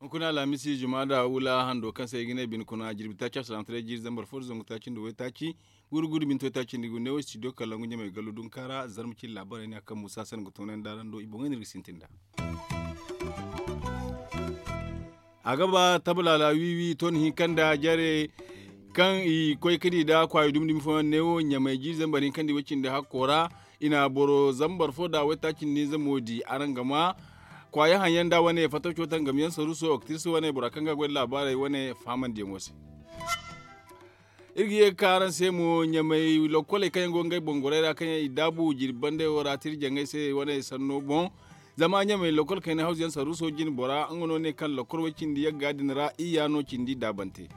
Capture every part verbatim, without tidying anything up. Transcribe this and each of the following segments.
Hunkuna alhamisi juma da wula hando kaŋ se ay ga ne bine kuna jirbi taaci a salaamataray jiiri zambar fo da zangu taaci nda waytaaci guuru guuru binto taaci nda gu neewo studio kalangu ɲamay gallu dunka ra zarma cine laabaray ne a kaŋ muusa se no ga toonandi araŋ do i boŋey no iri ga sintin nd'a. A ga ba tabalaala wiiwi tooni hinka nda jare kaŋ i koy ga di nda kwaayo dumi dumi fooyaŋ neewo ɲamay jiiri zambar hinka nda i way cindi hakko ra. I na boro zambar fo nda waytaaci nda hinza mo di araŋ ga ma kwaaya haŋyaŋ nda wane fatawco tangam yaŋ saruuso oktiris wane bora kaŋ ga a goy nda laabaarey wane fahamandiyaŋo se. Iri ga ye ga ka araŋ se mo ɲamay lokkoley kaŋ yaŋ go ngey boŋ gorey ra kaŋ yaŋ i daabu jirbi bandey wo ra tira jaŋay se wane sanno boŋ. Zama ɲamay lokkol kayna hawzu yaŋ saruuso jine bora nga no ne kaŋ lokkol way cindi yagga din ra iyya no cindi daabante.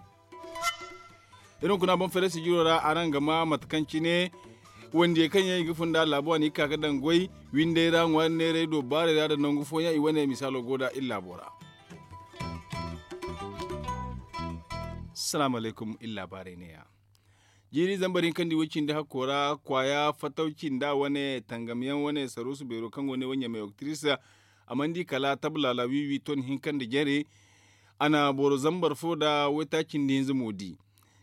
Iri hunkuna boŋ feere sijiro ra araŋ ga ma mate kaŋ cine wandiyey kaŋ yaŋ i ga fun nd'a laabo a na i ga ka ga daŋ goy windey ra ŋwaari neeray do baarey ra nda nangu fooyaŋ i wane misaalo go nd'a iri laabo ra. Salaamu alaykum iri laabaarey neeya. Jiiri zambar hinka nda i way cindi hakko ra kwaaya fatawci nda wane tangamyaŋ wane saruusu beero kaŋ go ne wo ɲamay oktiris a mana di kala tabalaala wiiwi ton hinka nda jare. A na boro zambar fo nda waytaaci nda hinza mo di.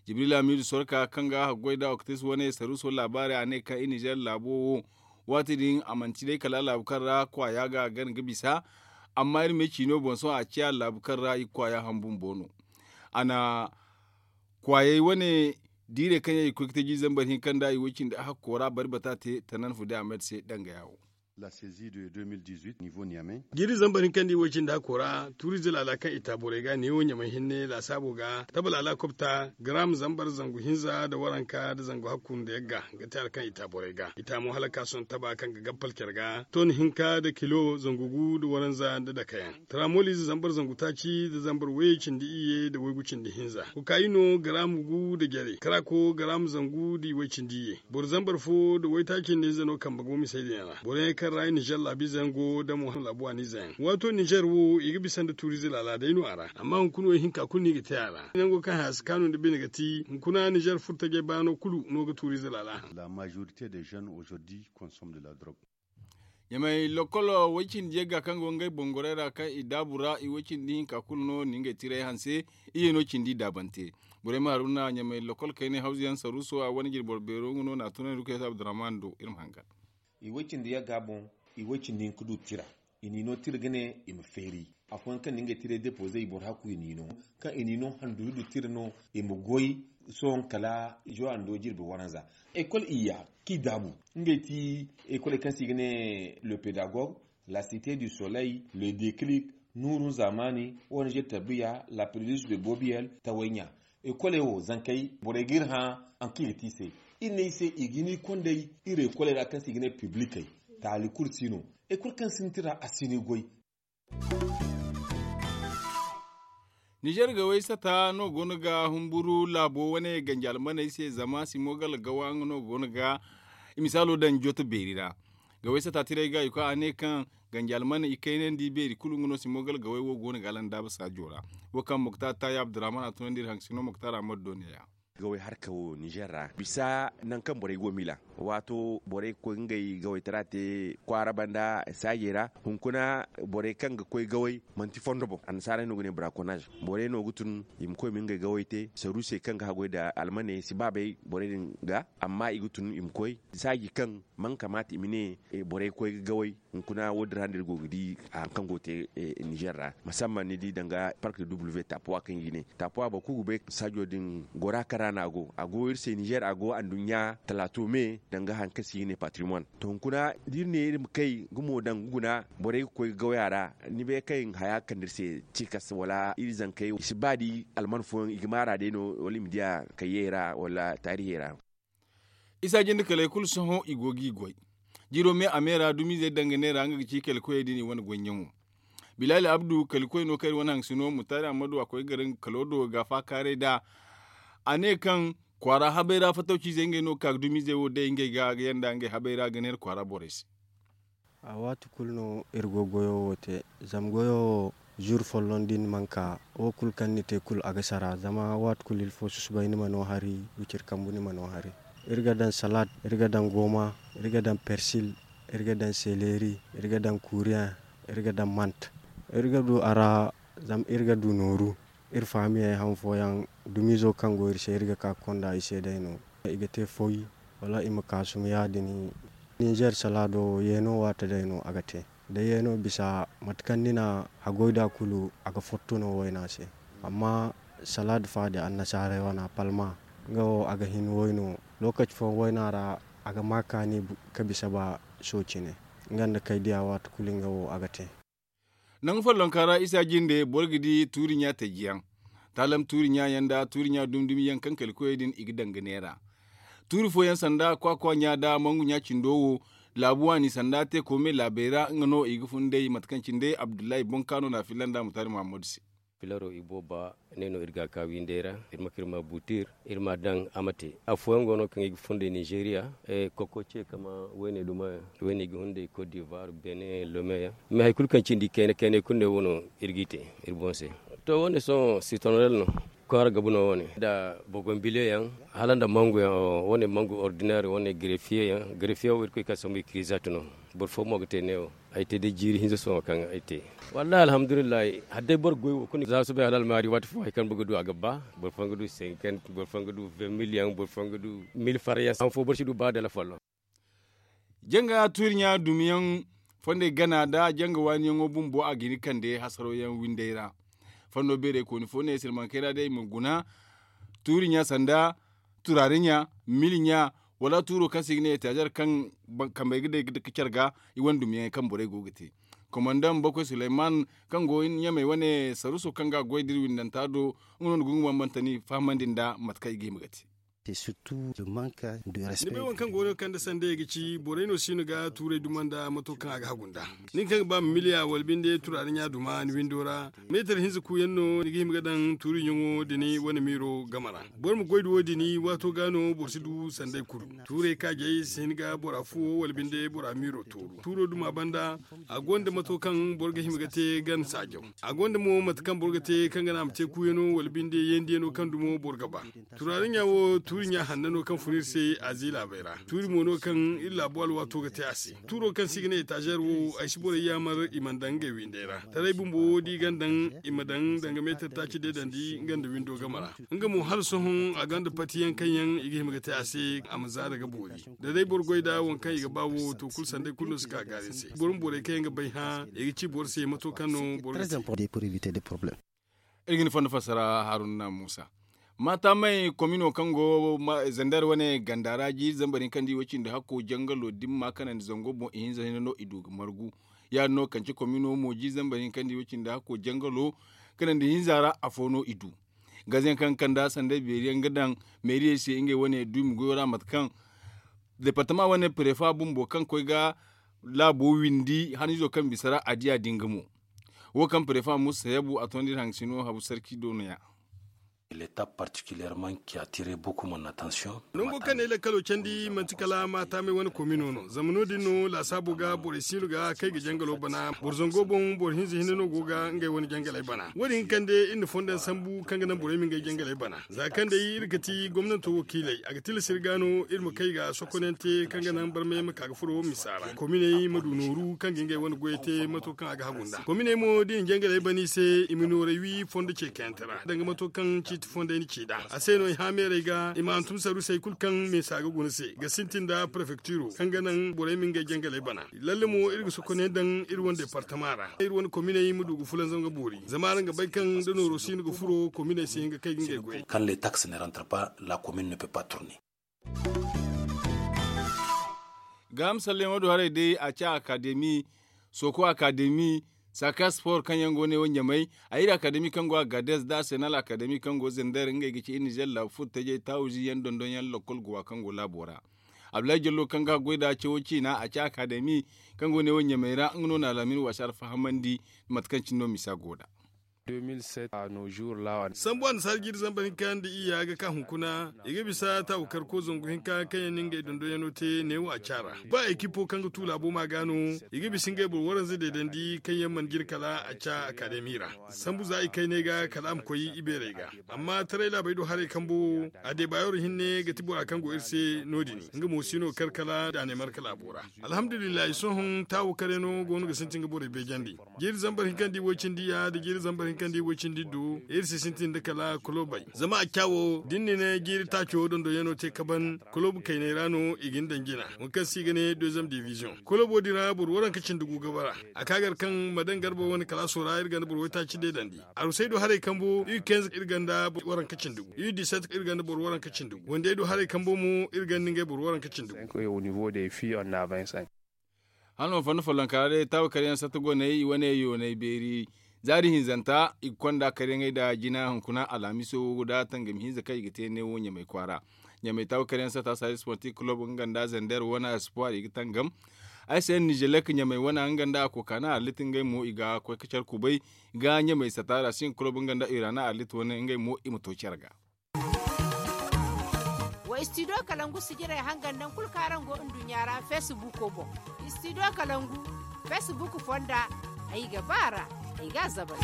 Jibril hamiidu sorka kaŋ ga haggoy nda oktiris wane saruuso laabaarey a ne kaŋ i nizer laabo wo waati din a manti day kala laabu kaŋ ra kwaaya ga gana ga bisa. Amma iri ma ay ci no boŋ sohõ a ciya laabu kaŋ ra i kwaaya ham bumbo no. A na kwaayey wane diirey kaŋ yaŋ i ga koy ga te jiiri zambar hinka nda i way cindi hakko ra bari bata te tanan fude ahmed se dangaya wo. Jiiri zambar hinka nda i way cindi hakko ra tuuriize laala kaŋ i ta borey ga neewo ɲamay hinne laasaabo ga tabalaala kobta garaam zambar zangu hinza nda waranka nda zangu hakku nda yagga ga te hala kaŋ i ta borey ga i ta mo hala ka sohõ taba kaŋ ga gabbal care ga ton hinka nda kilo zangu gu nda waranza nda dakayaŋ. Taraamoliize zambar zangu taaci nda zambar way cindi iyye nda waygu cindi hinza kokaayino garaam gu nda jare karaako garaam zangu nda i way cindi iyye boro zambar fo nda waytaaci nda ize no kambe go misey din ra boro yaŋ kaŋ ra nizer laabiize yaŋ go nda muhammad laabu waaniize yaŋ waato nizer wo i ga bisa nda tuuriize laala day no a ra amma hunkuna wo ihinka kulu no i ga te a ra nango kaŋ haya si kaanu nda bine ga ti hunkuna nizer furtajey baano kulu no ga tuuriize laala haŋ. Ɲamay lokkolo way cindi yagga kaŋ go ngey boŋ gorey ra kaŋ i daabu ra i way cindi hinka kulu no ni ngey tiray hanse. Iyye no cindi daabante borey ma haruna ɲamay lokkol kaynay hawzu yaŋ saruuso a wane jirbi boro beero nga no na tunandi kaysa abdurrahman do iri ma hangan. I way cindi yagga boŋ i way cindi hinka du tira i n'i no tira ga ne i ma feeri afooyaŋ kaŋ na ngey tiray depoze i boro hakku i n'i no kaŋ i n'i no handu du tira no i ma goy sohõ kala zuwa ndo jirbi waranza. Ekol iyya kaŋ i daabu ngey ti ekoley kaŋ se i ga ne le pédagogue, la cité du soleil, le déclic, nuurun zamani, ong tarbiya, la préluce de bobiyel tawayɲa. Ekoley wo zankey borey ga iri hã haŋ kaŋ i ga te i se. Iri ne i se i ga hin i kondey iri ekoley ra kaŋ se i ga ne piblikey. Taali kulu si no. Ekol kaŋ sintin ra a si ni goy. Nizer gawey sata no go no ga humburu laabo wane ganji almaney se zama simo gala gawa nga no go no ga i misaalo daŋ joto beeri ra. Gawey sata tiray ga i koy a ne kaŋ ganji almaney i kaynandi beeri kulu nga no simo gala gawey wo go no ga alandaaba saajo ra. Wo kaŋ moktar taayi abdurrahman a tunandi iri haŋ sino moktar ahmad do ne- ya. Gawey harka wo nizer ra bisa nangu kaŋ borey go miila waato borey ga koy ngey gawey tara te kwaara banda saajey ra. Hunkuna borey kaŋ ga koy gawey manti fondo boŋ annasaarey no ga ne brakonaz. Borey no ga tun i ma koy ma ngey gawey te saruusey kaŋ ga haggoy nda almaney si baabay borey din ga amma i ga tun i ma koy saaji kaŋ mana kamaata i ma ne borey ga koy ga gawey. Hunkuna wo- din ra no iri go ga di hari kaŋ go ga te nizer ra musamman ni di danga park de w tapuwa kaŋ i ga ne tapuwa boro kulu ga bay saajo din gora kaŋ ra no a go a go iri se nizer a go anduɲɲa talaato me danga hari kaŋ se i ga ne patrimoine. To hunkuna da iri ne iri ma kay gumo daŋ ga guna borey ga koy ga gawya ra ni bay kaŋ haya ga kande iri se cikas wala iri zankey i si ba da alman fooyaŋ i ga maara day no wala i ma diya kayyey ra wala taarihey ra. Isa jinde kaley kulu sohõ i go g'i goy. Jiiro me a me ra dumiizey danga neera nga ga ci kala koyey din i wane goyyaŋo. Bilaali abdu kala koy no kaŋ iri wane haŋsino mutaari ammadu a koy ga gare nga kalo do ga faakaaray nd'a. A ne kaŋ kwaara habay ra fatawciizey ngey no ga ka ga dumiizey wo day ngey ga ga yanda ngey habay ra ga neera kwaara borey se. A waati kulu no iri go goyo wo te zama goyo wo Zuuru folloŋ da ni mana ka, wo kulu kaŋ ni te kulu a ga sara. Zama waati kulu ilfo susubay ni ma no hari, wiciri kambu ni ma no hari. Iri ga daŋ salaad, iri ga daŋ gooma, iri ga daŋ persil, iri ga daŋ seleeri, iri ga daŋ kuuriyaŋ, iri ga daŋ mant. Iri ga du a ra, zama iri ga du nooru. Iri faamiyey han fooyaŋ, dumiizo kaŋ go iri se, iri ga ka ga konda i se day no. I ga te foy, wala i ma kaasum ya- din. Ninzeer salaado yeeno waate day no a ga te. Da yeeno bisa mate kaŋ ni na haggoy nd'a kulu, a ga fotto no wayna se. Amma salaad fa din annasaarey wana palma, nga wo a ga hin wayno. Lookaci fooyaŋ wayna ra, a ga ma kaani ka bisa ba sooci ne. Nga nda kay diya waati kulu nga wo a ga te. Nangu follonka ra isa jinde boro ga di tuuri ɲa taji yaŋ, taalam tuuri ɲa yaŋ nda tuuri ɲa dumi dumi yaŋ kaŋ kala koyey din i ga daŋ ga neera. Tuuri fooyaŋ sanda kwakwa ɲa nda mangu ɲa cindo wo, laabu waani sanda te koome laabey ra nga no i ga fun day mate kaŋ cine day abdullahi boŋ kaano na a filla nda mutaari muhammadu se. Filaro i booba ne no iri ga a ka windey ra. Iri ma ka iri ma buutir, iri ma a daŋ a ma te. Afooyaŋ go no kaŋ i ga funday ninzeeriya, koko ce kama wayne duma yaŋ, wayne i ga hunday kot divoire, benin, lome yaŋ. Mais hari kulu kaŋ cindi kayna kaynay kulu ne wo no iri g'i te iri boŋ se. To wo- ne sohõ sitonorel no, kwaara gabu no wo- ne nda bogombile yaŋ, hala nda mangu yaŋ. Wo- ne mangu ordinaire, wo- ne grefiye yaŋ. Grefiye wo irkoy ka sambu i kirizat no. Boro fo mo ga te neewo. Ay te day jiiri hinza sohõ kaŋ ay te. Wallahi alhamdulillahi, hala day boro ga goy wo kulu za soobay hala almaari waati fo hari kaŋ boro ga du a ga ba. Boro fooyaŋ ga du senkant, boro fooyaŋ ga du vingt mille yaŋ, boro fooyaŋ ga du mille far yaŋ han fo boro si du ba dala folloŋ. Janga tuuri ɲa dumiyaŋ fondey gana nda janga waaniyaŋo bumbo a ga hin kande hasaro yaŋ windey ra. Fondo beerey kooni fo ne sirmankey ra day i ma guna tuuri ɲa sanda turaari ɲa, mili ɲa, wala tuuro kaŋ se i ga ne etaazer kaŋ kambey ga day ga care ga i wane dumiyaŋey kaŋ borey go ga te. Komandaŋ bakoy suleyman kaŋ go ɲamey wane saruso kaŋ ga a goy da iri windanta do, nga no na gungu bambanta no i fahamandi nda mate kaŋ i ga hima ga te. Ni bay waŋ kaŋ go no kaŋ da sanday ga ci borey no si no ga tuurey duma nda mato kaŋ a ga hagu nda. Nin kaŋ ga ba ma miliya wala binde turaari ɲa duma ni windo ra, meetar hinza kuuyaŋ no ni ga hima ga daŋ tuuri ɲaŋo da ni wane miiro game ra. Boro ma goy da wo- din waato ga no boro si du sanday kulu. Tuurey kaajey si hin ga bora fuwo wala binde bora miiro tooru tuuro duma banda. A gonda mato kaŋ boro ga hima ga te gan saajaw. A gonda mo mate kaŋ boro ga te kaŋ ga naŋ a ma te kuuyano wala binde yeendiyaŋo kaŋ dumo boro ga ba. Turaari ɲa wo tuuri ɲa hanna no kaŋ fun iri se azi laabey ra. Tuuri mo no kaŋ iri laabu alwaato ga te a se. Tuuro kaŋ se i ga ne etaazer wo ay si borey yaamar i mana daŋ ngey windey ra. Taray bumbo wo da i gan daŋ i ma daŋ danga meetar taaci deedandi nga nda windo game ra. Nga mo hala sohõ a gonda patiyaŋ kaŋ yaŋ i ga hima ga te a se a ma zaara ga boori. Da day boro goy nda waŋ kaŋ i ga ba wo to kulu sanday kulu no si ka gaari ni se boro ma borey kaŋ yaŋ ga bay hã i ga ci boro se mato kaŋ no boro ga te. Iri ga ni fondo fassara haruna muusa. Maatamey komino kaŋ go zandar wane ganda ra jiiri zambar hinka nda i way cindi hakko jangalo dimma kanandi zango boŋ ihinza hinne no i du ga margu. Ya- din no kance komino mo jiiri zambar hinka nda i way cindi hakko jangalo kanandi hinza ra afo no i du. Gaze yaŋ kaŋ ga kand'a sanday beeri yaŋ ga daŋ meeriyey se ngey wane duumi goyo ra mate kaŋ departama wane prefa bumbo kaŋ koy ga laabo windi haniizo kaŋ bisa ra a diya din ga mo. Wo kaŋ prefa musa sayabu a tondi iri haŋ sino habu sarki do no- ya. Nango kaŋ ne lakkalo candi manti kala maatamey wane komino no zama no- din no laasaabo ga borey siino ga kay ga jangalo bana boro zango boŋ boro hinza hinne no go ga ngey wane jangaley bana wo- din ga kande iri na fondaŋ sambu kaŋ ga naŋ borey ma ngey jangaley bana. Za kaŋ day iri ga ti gomnanto wakiiley a ga tilas iri ga no iri ma kay ga sokonante kaŋ ga naŋ barmay ma ka ga furo misa ra kominey ma du nooru kaŋ ga ngey wane goyey te mato kaŋ a ga hagu nda kominey mo da i na jangaley ban i se i ma nooray wi fondo ce kayante ra danga mato kaŋ ciiti fondey na ci nd'a a se no i hã meerey ga i ma hantum sarusey kulu kaŋ misa ga guna se ga sintin nda prefektiro kaŋ ga naŋ borey ma ngey jangaley bana. Lalle mo iri ga sokoney daŋ iri wane departama ra iri wane kominey ma du ga fulanzam ga boori zama araŋ ga bay kaŋ da nooro si no ga furo kominey si hin ga kay ga ngey goyey. Kaŋ le tax ne rantre pas la komine ne pe pas tourne. Gaaham salleŋo do haray day a ci akademi, soko akademi, saka sport kaŋ yaŋ go ne wo ɲamay. A iri akademi kaŋ go a gades da senal akademi kaŋ go zender ngey ga ci iri nizer laabu furo tajey taawuzi yaŋ dondon yaŋ lokol guwa kaŋ go laabo ra. Abdullahi jallo kaŋ ga goy da cawo ciina a ci akademi kaŋ go ne wo ɲamay ra nga no na alaamin waasi alfahamandi. Mate kaŋ cine no misa go da. Sambu annasaara jiiri zambar hinka nda iyya ga ka hunkuna, i ga bisa taawukar ko zangu hinka kaŋ yaŋ na ngey dondonyaŋo te neewo a caara. Ba ekipo kaŋ ga tu laabo ma ga no, i ga bisa ngey boro waranza deedandi kaŋ yaŋ mana jin kala a ca akademi ra. Sambu za i kayney ga kala a ma koy ibeerey ga. Amma taray laabey do haray kambo, a deebaayoro hinne ga ti bora kaŋ go iri se no- din. Nga mo si no kar kala da a ne marka laabo ra. Alhamdulillahi sohõ taawo kare no go no ga sintin ga borey beejandi. Jiiri zambar hinka nda i woy cindi ya nda jiiri zambar hinka nda i woy cindi du, iri si sintin da kala kulobey zama a caawo da ni na ne jiiri taaco dondonyaŋo te kaban, kulob kayney ra no i ga ni daŋ jina, wo kaŋ se i ga ne deuxième division. Kulobo din ra boro waranka cindi gu ga bara. A ka gar kaŋ ma daŋ garba wane kalaaso ra iri ganda boro waytaaci deedandi. Arusay do haray kambu u kenz iri ganda boro waranka cindi gu, u diset iri ganda boro waranka cindi gu, wandey do haray kambu mo iri ganda ngey boro waranka cindi gu. Hano fondo follonka ra day taawa kar yaŋ satta goney i wane yooney beeri. Zaari hinzanta i ga konda karyaŋey nda jina hunkuna alhamiso wo da tangam hinza kaŋ i ga te neewo ɲamay kwaara. Ɲamay taawa kar yaŋ satta saayi sportif kulob nga nda zender wane espoir i ga tangam. Ay se nizelek ɲamay wane nga nda a kokaana arlit ngey mo i ga koy ga care kubay. Ga ɲamay satta ra sin kulob nga nda irana arlit wane ngey mo i ma to care ga. Wa istidiyo kalangu sijirey hangan naŋ kulu kaŋ araŋ go nduɲɲa ra feesibuuko boŋ. Istidiyo kalangu feesibuuk fonda, ay ga ba a ra, ay ga a zabal.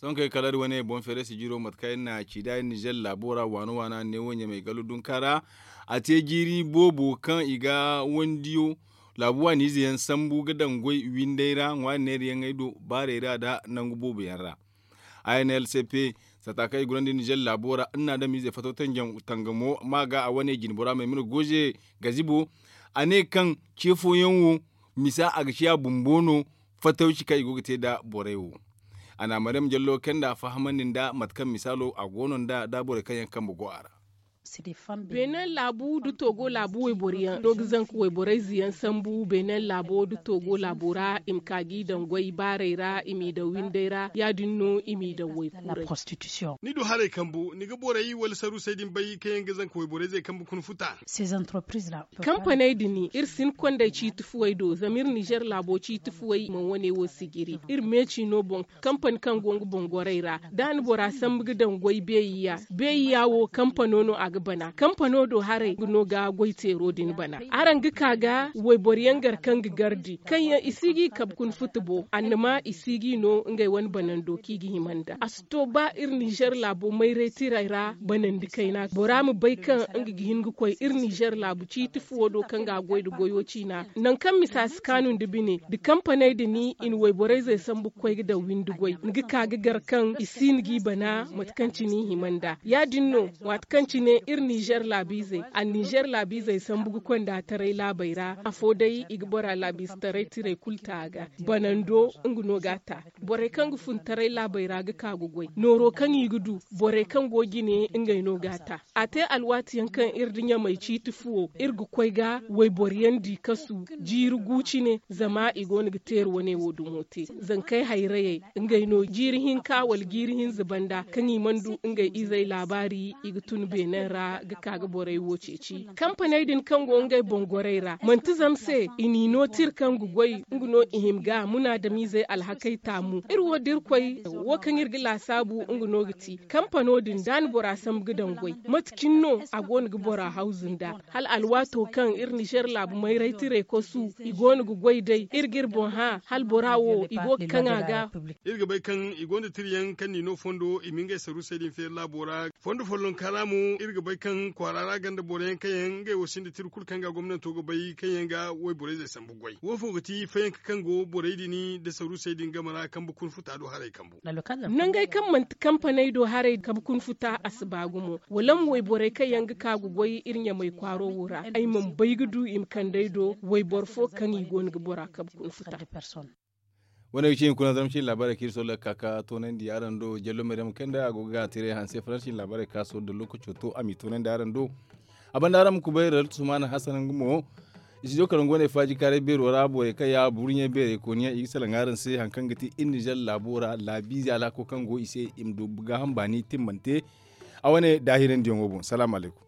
Sohõ kaŋ ay kala da wane boŋ feere sijiro mate kaŋ ay na ci nd'a nizer laabo ra waana waana neewo ɲamay galo dunka ra. A te jiiri boobo kaŋ i ga wandiyo laabu waani ize yaŋ sambu ga daŋ goy windey ra ŋwaari neerayaŋey do baarey ra nda nangu boobo yaŋ ra. Inlcp sata kaŋ i gurandi nizer laabo ra nnaadamiize fattaw tangamo ma ga a wane jinbora maymuna goze gazibo. A ne kaŋ ce fooyaŋ wo misa a ga ciya bumbo no fattawci kaŋ i go ga te nda borey wo. A na maryam jallo kaŋ nda a fahamandi nda mate kaŋ misaalo a go no nda nda borey kaŋ yaŋ kambe go a ra. Benin laabu nda togo laabu wayboro yaŋ no ga zanka wayborey ze yaŋ sambu benin laabo nda togo laabo ra i ma ka ga i daŋ goy baarey ra i m'i daŋ windey ra ya- din no i m'i daŋ waykuurey. Ni du haray kambu ni ga borey wala sarusey din bay kaŋ yaŋ ga zanka wayborey ze kambe kuna futa. Kampaney din iri si hin kondey ciiti fuwey do zama iri nizer laabo ciiti fuwey mana wane wo sijiri iri meeci no boŋ. Kampani kaŋ go nga boŋ gorey ra da ni bora sambu ga daŋ goy beeyi ya beeyi ya wo kampano no a ga bana kampano do haray nga no ga goy teero din bana. Araŋ ga ka ga wayboro yaŋ gar kaŋ ga gardi kaŋ yaŋ i si ga i kabe kuna futa bo annama i si ga i no ngey wane banando kaŋ i ga hima nda a si to ba iri nizer laabo mayray tiray ra banandi kayna bora ma bay kaŋ nga ga hin ga koy iri nizer laabu ciiti fuwo do kaŋ ga a goy nda goyo ciina. Nangu kaŋ misa si kaanu nda bine nda kampaney din i na wayborey zey sambu ga koy ga daŋ windi goy ni ga ka ga gar kaŋ i si no ga i bana mate kaŋ cine i hima nd'a ya- din no. Waati kaŋ cine iri nizer laabiizey a nizer laabiizey sambu ga koy nd'a taray laabey ra afo day i ga bora laabiize taray tiray kulu ta a ga banando nga no ga a ta. Borey kaŋ ga fun taray laabey ra ga ka ga goy nooro kaŋ i ga du borey kaŋ go jine ngey no ga a ta. A te alwaati yaŋ kaŋ iri nda ɲamey ciiti fuwo iri ga koy ga wayboro yaŋ di kasu jiiri gu cine zama i go no ga teeri wane wo dumo te. Zankey hayrayey ngey no jiiri hinka wala jiiri hinza banda kaŋ i mana du ngey izey laabaari i ga tun beenen ra ga ka ga borey wo ceeci. Kampaney din kaŋ go ngey boŋ gorey ra manti zama se i n'i no tira kaŋ ga goy nga no i hima ga munaadamiizey alhakey taamu iri wo da irkoy wo kaŋ iri ga laasaabu nga no ga ti kampano din da ni bora sambu ga daŋ goy mate cine no a go no ga bora hawzu nda hala alwaato kaŋ iri nizer laabu mayray tiray kosu i go no ga goy day iri ga iri boŋ hã hala bora wo i go ga kaŋ a ga. Iri ga bay kaŋ i gonda tira yaŋ kaŋ n'i no fondo i ma ngey sarusey din feeri laabo ra fondo follonka ra mo iri ga bay kaŋ kwaara ra ganda boro yaŋ kaŋ yaŋ ngey wo sinda tira kulu kaŋ ga gomnanto ga bay kaŋ yaŋ ga wayborey zey sambu goy wo fo ga ti fayanka kaŋ go borey din nda sarusey din game ra kambe kuna futa do haray kambu. Nangey kaŋ manti kampaney do haray kabe kuna futa a si ba gumo wala ma wayborey kaŋ yaŋ ga ka ga goy iri ɲamey kwaaro wo ra ay mana bay ga du i ma kand'ey do wayboro fo kaŋ i go no ga bora kabe kuna futa. Wane ga ci hunkuna zarma ciine laabaarey kaŋ iri solla ga ka ga toonandi araŋ do jallo maryam kaŋ nda a go ga gaana teeray hanse faransi ciine laabaarey kaŋ a solla da lookaco to a m'i toonandi araŋ do. A banda araŋ ma kubay raltu sumaana hasan nga mo. Studio kaŋ go no ay faaji kaaray beero ra borey kaŋ ya buru ɲey beerey kooniyaŋ i ga salaŋ araŋ se hari kaŋ ga ti iri nizer laabo ra laabiize alhako kaŋ go i se i ma du gaaham baani timmante. A wane daahirandiyaŋo boŋ salaamu alaykum.